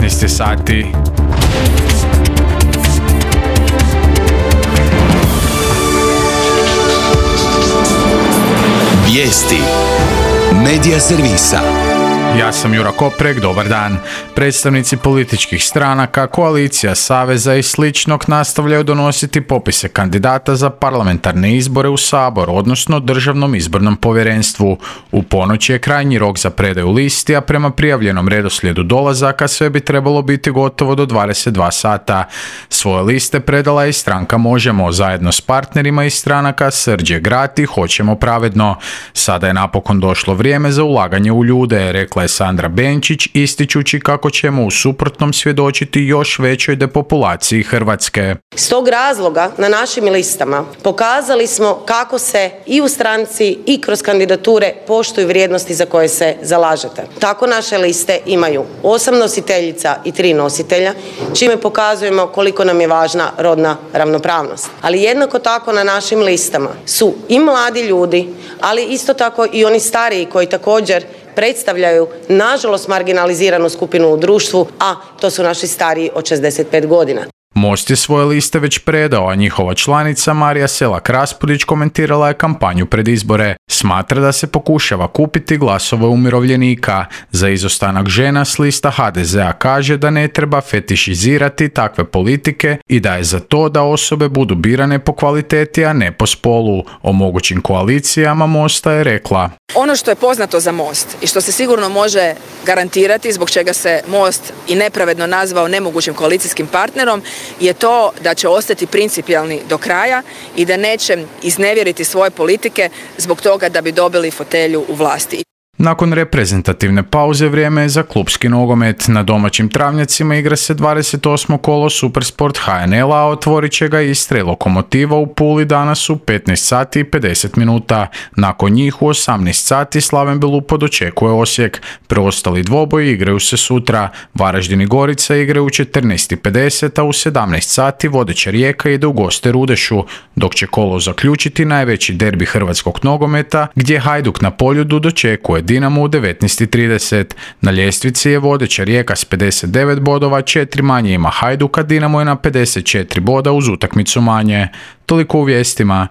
19 sati. Vijesti Medija servisa. Ja sam Jura Koprek, dobar dan. Predstavnici političkih stranaka, koalicija, saveza i sličnog nastavljaju donositi popise kandidata za parlamentarne izbore u Sabor, odnosno Državnom izbornom povjerenstvu. U ponoć je krajnji rok za predaju listi, a prema prijavljenom redoslijedu dolazaka sve bi trebalo biti gotovo do 22 sata. Svoje liste predala je i stranka Možemo, zajedno s partnerima iz stranaka Srđe Grat i Hoćemo pravedno. Sada je napokon došlo vrijeme za ulaganje u ljude, rekla je Sandra Benčić, ističući kako ćemo u suprotnom svjedočiti još većoj depopulaciji Hrvatske. S tog razloga na našim listama pokazali smo kako se i u stranci i kroz kandidature poštuju vrijednosti za koje se zalažete. Tako naše liste imaju 8 nositeljica i 3 nositelja, čime pokazujemo koliko nam je važna rodna ravnopravnost. Ali jednako tako na našim listama su i mladi ljudi, ali isto tako i oni stariji koji također predstavljaju nažalost marginaliziranu skupinu u društvu, a to su naši stariji od 65 godina. Most je svoje liste već predao, a njihova članica Marija Selak-Raspudić komentirala je kampanju pred izbore. Smatra da se pokušava kupiti glasove umirovljenika. Za izostanak žena s lista HDZ-a kaže da ne treba fetišizirati takve politike i da je za to da osobe budu birane po kvaliteti, a ne po spolu. O mogućim koalicijama Mosta je rekla: ono što je poznato za Most i što se sigurno može garantirati, zbog čega se Most i nepravedno nazvao nemogućim koalicijskim partnerom, je to da će ostati principijelni do kraja i da neće iznevjeriti svoje politike zbog toga da bi dobili fotelju u vlasti. Nakon reprezentativne pauze vrijeme je za klupski nogomet. Na domaćim travnjacima igra se 28. kolo Supersport HNL-a, a otvorit će ga Istra i Lokomotiva u Puli danas u 15 sati i 50 minuta. Nakon njih u 18 sati Slaven Belupo dočekuje Osijek. Preostali dvoboji igraju se sutra. Varaždin i Gorica igraju u 14:50, a u 17 sati vodeća Rijeka ide u goste Rudešu, dok će kolo zaključiti najveći derbi hrvatskog nogometa, gdje Hajduk na Poljudu dočekuje Dinamo u 19:30. Na ljestvici je vodeća Rijeka s 59 bodova, 4 manje ima Hajduk, a Dinamo je na 54 boda uz utakmicu manje. Toliko u vijestima.